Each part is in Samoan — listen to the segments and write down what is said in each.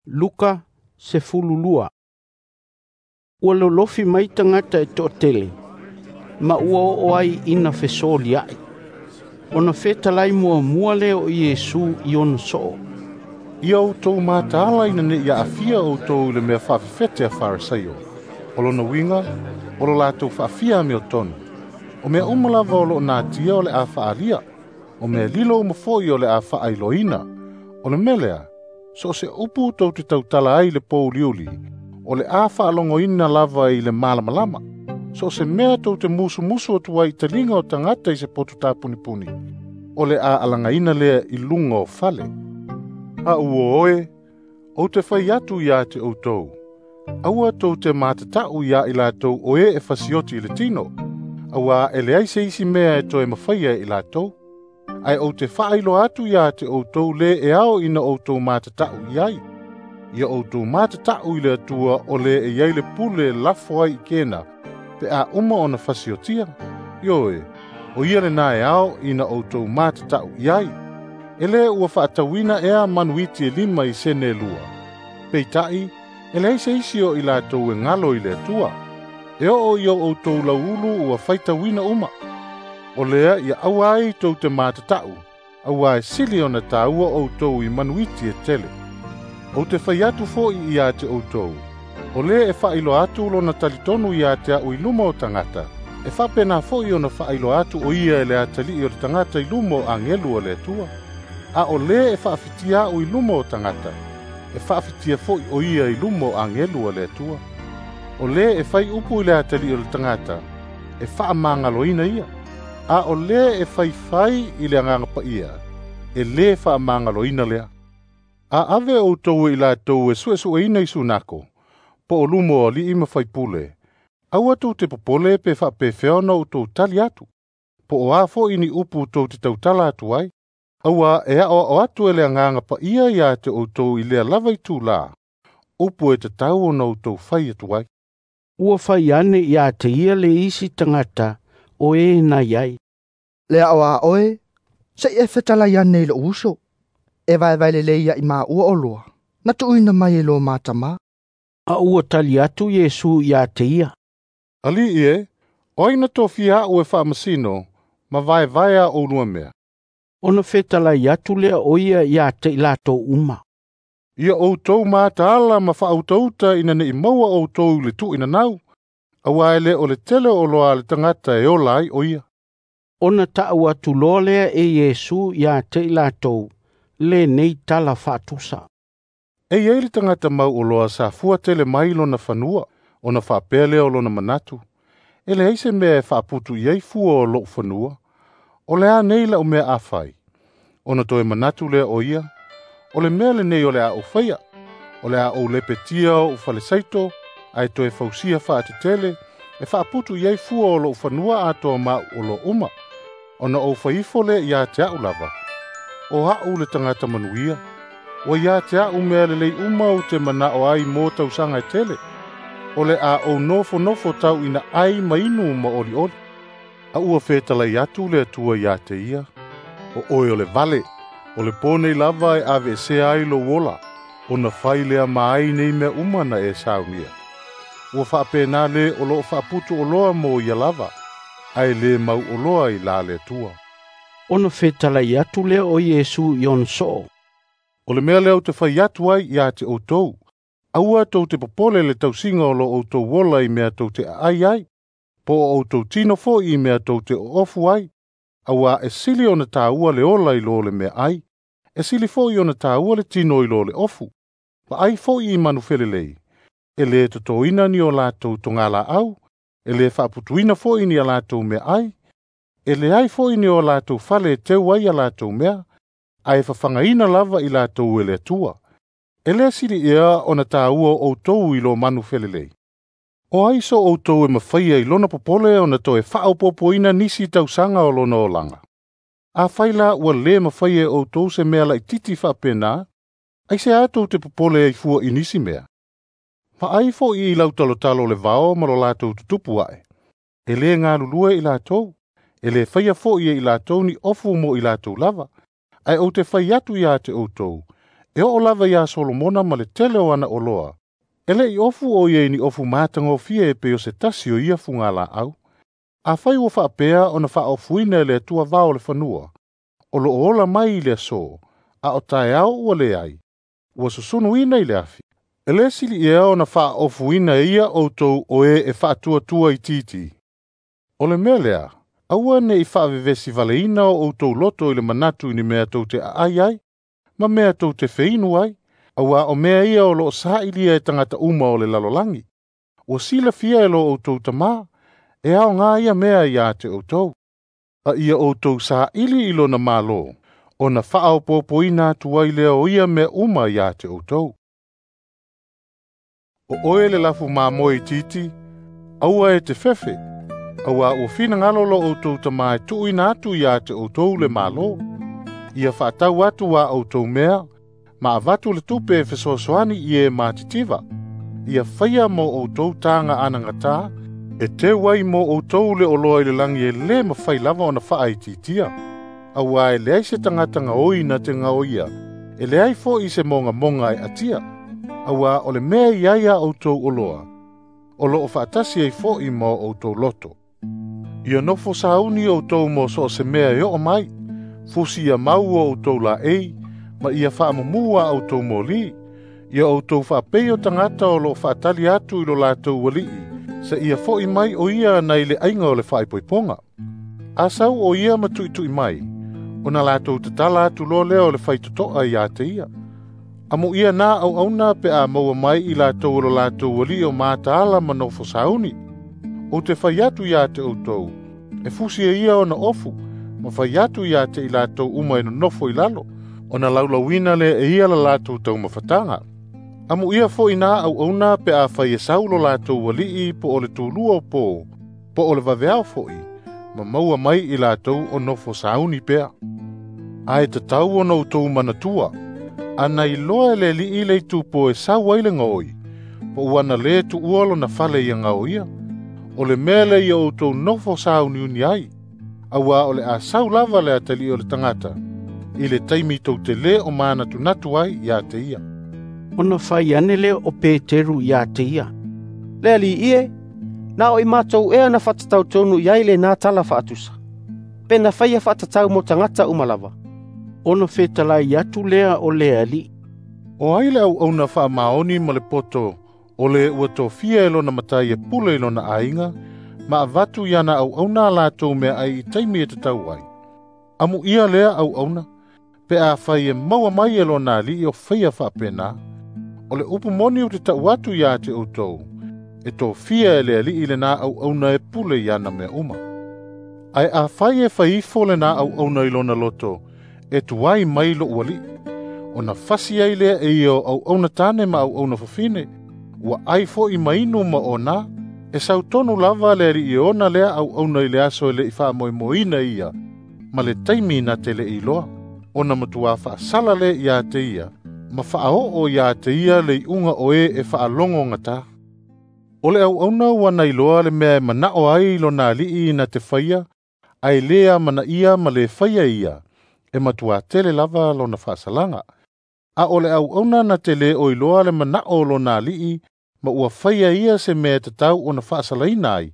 Luka 12. Ua lolofi mai tagata e to'atele, ma ua oo ai ina fesolia'i. Ona fetalai muamua lea o Iesu i ona so'o, "Ia outou mataala ina ne'i aafia outou i le mea faafefete a Farisaio. O lona uiga, o lo latou faafia amiotonu. O mea uma lava o lo'o natia o le a fa'aalia, o mea lilo uma fo'i o le a fa'ailoaina. O le mea lea, so o se upu tou te tautala ai i le pouliuli, o le a fa'alogoina lava i le malamalama. So o se mea tou te musumusu atu ai i taliga o tagata i se poto tapunipuni, o le a alagaina lea i luga o fale. A ua oe, ou te fai atu ia te outou, aua tou te matata'u iā i latou o e e fasioti i le tino, auā e leai se isi mea e toe mafaia e i latou. Ae ou te faailoa atu ia te outou lē e ao ina outou matata'u i ai. Ia outou matata'u i le Atua o lē e i ai le pule e lafo ai i kena, pe a uma ona fasiotia. Ioe, o ia lenā e ao ina outou matata'u i ai. E lē ua fa'atauina ea manuiti e 5 i sene e 2. Peita'i, e leai se isi o i latou e galo i le Atua. E oo i o outou lauulu ua faitauina uma. O lea ia aua ai tou te matata'u, auā e sili ona tāua outou i manuiti e tele. Ou te fai atu fo'i ia te outou, o lē e fa'ailoa atu lona talitonu ia te a'u i luma o tagata, e fa'apena fo'i ona fa'ailoa atu o ia e le atali'i o le tagata i luma o agelu o le Atua. A o lē e fa'afitia a'u i luma o tagata, e fa'afitia fo'i o ia i luma o agelu o le Atua. O lē e fai upu i le atali'i o le tagata, e fa'amagaloina ia. A o lē e faifai i le Agaga Paia, e lē fa'amagaloina lea. A ave outou e i latou e su'esu'eina i sunako, po o luma o ali'i ma faipule, aua tou te popole pe fa'apefea ona outou tali atu, po o a fo'i ni upu tou te tautala atu ai, auā e a'oa'o atu e le Agaga Paia ia te outou i lea lava itulā, upu e tatau ona outou fai atu ai." Ua fai ane ia te ia le isi tagata o e nai ai, "Le a'o a oe, se'i e fetalai ane i lo'u uso, e vaevae lelei a'i māua oloa, na tu'uina mai e lo ma tamā." A ua tali atu Iesu ia te ia, "Ali'i e, o ai na tofia a'u e fa'amasino, ma vaevae a oulua mea." Ona fetalai atu lea o ia ia te i latou uma, "Ia outou mataala ma fa'autauta ina ne'i maua outou i le tu'uinanau, auā e lē o le tele o oloa a le tagata e ola ai o ia." Ona ta'u atu loa lea e Iesu ia te i latou lenei tala fa'atusa. E i ai le tagata mau oloa sa fua tele mai lona fanua, ona fa'apea lea o lona manatu, e leai se mea e fa'aputu i ai fua o lo'u fanua, o le a nei la'u mea a fai. Ona toe manatu lea o ia, o le mea lenei o le a ou faia, o le a ou lepetia o'u falesaito, ae toe fausia fa'atetele, e fa'aputu i ai fua o lo'u fanua atoa ma a'u oloa uma. Ona ou faifo lea ia te a'u lava, o a'u le tagata manuia, ua ia te a'u mea lelei uma ou te mana'o ai mo tausaga e tele. O le a ou nofonofo tau ina ai ma inu ma olioli. A ua fetalai atu le Atua ia te ia, o oe o le vale, o le pō nei lava e aveesea ai lou ola, ona fai lea ma ai nei mea uma na e saunia. Ua fa'apena lē o lo'o fa'aputu oloa mo ia lava, ae lē mau oloa i la le Atua. Ona fetalai atu lea o Iesu i ona so'o, "O le mea lea ou te fai atu ai ia te outou, aua tou te popole le tausiga o lo outou ola i mea tou te aai ai, po o outou tino fo'i i mea tou te oofu ai, auā e sili ona tāua le ola i lo le meaai, e sili fo'i ona tāua le tino i lo le ofu. Va'ai fo'i i manu felelei, e lē totoina ni o latou togalā'au, e lē fa'aputuina fo'i ni a latou meaai, e leai fo'i ni o latou fale e teu ai a latou mea, ae fafagaina lava i latou e le Atua. E lē sili ea ona tāua outou i lo manu felelei. O ai so outou e mafaia i lona popole ona toe fa'aopopoina nisi tausaga o lona olaga? Afai la ua lē mafaia e outou se mea laʻitiiti fa'apenā, aiseā tou te popole ai fua i nisi mea? Va'ai fo'i i lautalotalo o le vao ma lo latou tutupu a'e. E lē galulue i latou, e lē faia fo'i e i latou ni ofu mo i latou lava. Ae ou te fai atu ia te outou, E oo lava iā Solomona ma le tele o ana oloa, e le'i ofu o ia i ni ofu matagofie e pei o se tasi o ia fugalaau. Afai ua faapea ona faaofuina e le Atua vao o le fanua, o loo ola mai i le aso, a o taeao ua leai, ua susunuina i le afi. E lē sili ea ona faaofuina e ia outou o e e faatuatua itiiti. O le mea lea, aua ne'i faavevesi valeina o outou loto i le manatu i ni mea tou te aai ai, ma mea tou te feinu ai, auā o mea ia o loo sa'ilia e tagata uma o le lalolagi. Ua silafia e lo outou Tamā, e aogā ia mea iā te outou. A ia outou sāʻili i lona Mālō, ona faaopoopoina atu ai lea o ia mea uma iā te outou. O oe le lafu mamoe itiiti, aua e te fefe, auā ua finagalo lo outou Tamā e tuuina atu iā te outou le Mālō. Ia faatau atu a outou mea, ma avatu le tupe e fesoasoani i e matitiva. Ia faia mo outou taga anagatā, e teu ai mo outou le oloa i le lagi e lē mafai lava ona faaitiitia. Auā e leai se tagata gaoi na te gaoia, e leai foʻi se mogamoga e atia. Auā o le mea i ai a outou oloa, o loo faatasi ai foʻi ma o outou loto. Ia nofo sauni outou mo so o se mea e oo mai, fusi ia mau o outou laei, ma ia faamumū a outou mōlī. Ia outou faapei o tagata o loo faatali atu i lo latou aliʻi, se ia foʻi mai o ia nai le aiga o le faaipoipoga. A sau o ia ma tuʻituʻi mai, ona latou tatala atu loa lea o le faitotoa iā te ia. Amuia nā auauna pe a maua mai i latou o lo latou aliʻi o mataala ma nofo sauni. Ou te fai atu iā te outou, e fusi e ia ona ofu, ma fai atu iā te i latou uma e nonofo i lalo, ona laulauina lea e ia la latou taumafataga. Amuia foʻi nā auauna pe a fai e sau lo latou aliʻi po o le tulua o pō, po o le vaveao foʻi, ma maua mai i latou o nofo sauni pea. Ae tatau ona outou manatua, ana iloa e le aliʻi le itupo e sau ai le gaoi, po ua na lē tuua lona fale ia gaoia. O le mea lea ia outou nofo sauniuni ai, auā o le a sau lava le atalii o le tagata, i le taimi tou te lē o manatunatu ai iā te ia. Ona fai ane lea o Peteru iā te ia, Le Alii e, na o i matou ea na faatatau tonu i ai lenā tala faatusa, pe na faia faatatau mo tagata uma lava. Ona fetalai atu lea o le Alii, O ai le auauna faamaoni ma le poto, o le ua tofia e lona matai e pule i lona aiga, ma avatu iana auauna a latou meaai i taimi e tatau ai. Amuia lea auauna, pe afai e maua mai e lona aliʻi o faia faapenā. O le upu moni ou te taʻu atu iā te outou, e tofia e le aliʻi lenā auauna e pule i ana mea uma. Ae afai e fai ifo lenā auauna i lona loto, e tuai mai loʻu aliʻi, ona fasi ai lea e ia o auauna tane ma auauna fafine, ua ai foʻi ma inu ma onā, e sautonu lava le aliʻi e ona lea auauna i le aso e leʻi faamoemoeina ia, ma le taimi na te leʻi iloa, ona matuā faasala lea iā te ia, ma faaoo iā te ia le iuga o e e faalogo gatā. O le auauna ua na iloa le mea e manaʻo ai lona aliʻi na te faia, ae lē amanaia ma lē faia ia, e matuā tele lava lona faasalaga. A o le auauna na te lē o iloa le manaʻo o lona aliʻi, ma ua faia ia se mea e tatau ona faasalaina ai,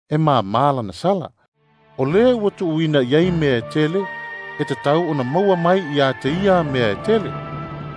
e māmā lana sala. O lē ua tuuina i ai mea e tele, e tatau ona maua mai iā te ia mea e tele.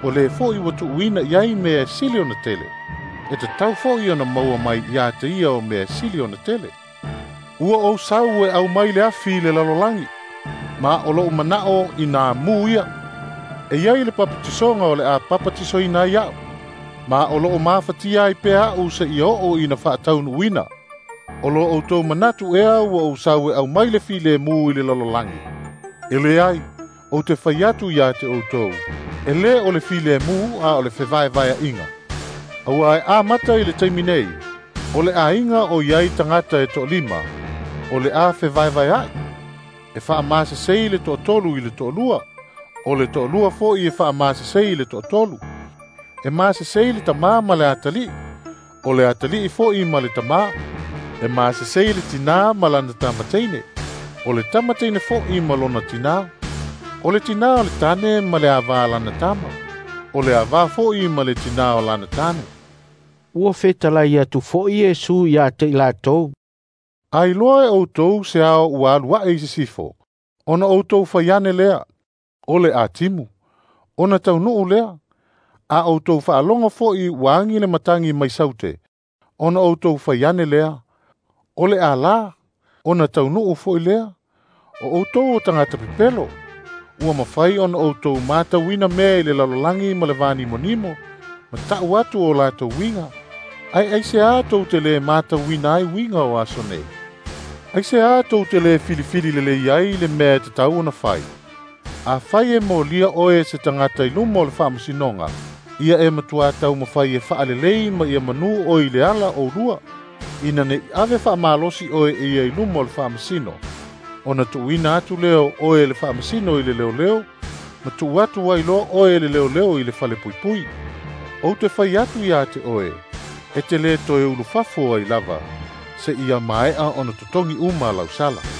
O lē foʻi ua tuuina i ai mea e sili ona tele, e tatau foʻi ona maua mai iā te ia o mea e sili ona tele. Ua ou sau e aumai le afi i le lalolagi, ma o loʻu manaʻo inā mū ia. E iai le papatisoga o le a papatisoina ai aʻu, ma o loo mafatia ai pea aʻu seia oo ina faataunuuina. O lo outou manatu ea ua ou sau e aumai le filemu i le lalolagi. E leai, ou te fai atu iā te outou, e lē o le filemu a o le fevaevaeaʻiga. Auā e amata i le taimi nei, o le aiga o iai tagata e toalima, o le a fevaevaeaʻi. E faamasesei le toatolu i le toalua, o le toalua foʻi e faamasesei i le toatolu. E masesei le tamā ma le atalii, o le atalii foʻi ma le tamā. E masesei le tinā ma lana tamateine, o le tamateine foʻi ma lona tinā. O le tinā o le tane ma le avā lana tama. O le avā fo'i ma le tinā o lana tane. Ua fetalai atu fo'i Iesu ia te i latou. A iloa e outou se ao ua alu a'e i sisifo, ona outou fai ane lea, o le atimu, ona taunu'u lea. A outou faalogo fo'i ua agi le matagi mai saute, ona outou fai ane lea, o le alā, ona taunu'u fo'i lea. O outou o tagata pepelo, ua mafai ona outou matauina mea i le lalolagi ma le vanimonimo, ma ta'u atu o latou uiga. Ae aiseā tou te lē matauina ai uiga o aso nei? Aiseā tou te lē filifili lelei ai le mea e tatau ona fai? Afai e molia oe e se tagata i luma o le faamasinoga, ia e matuā taumafai e faalelei ma ia manū oe i le ala oulua, ina ne'i ave faamalosi oe e ia i luma o le faamasino, ona tuuina atu lea o oe e le faamasino i le leoleo, ma tuu atu ai loa oe e le leoleo i le falepuipui. Ou te fai atu iā te oe, e te lē toe ulufafo ai lava, seia maea ona totogi uma lau sala.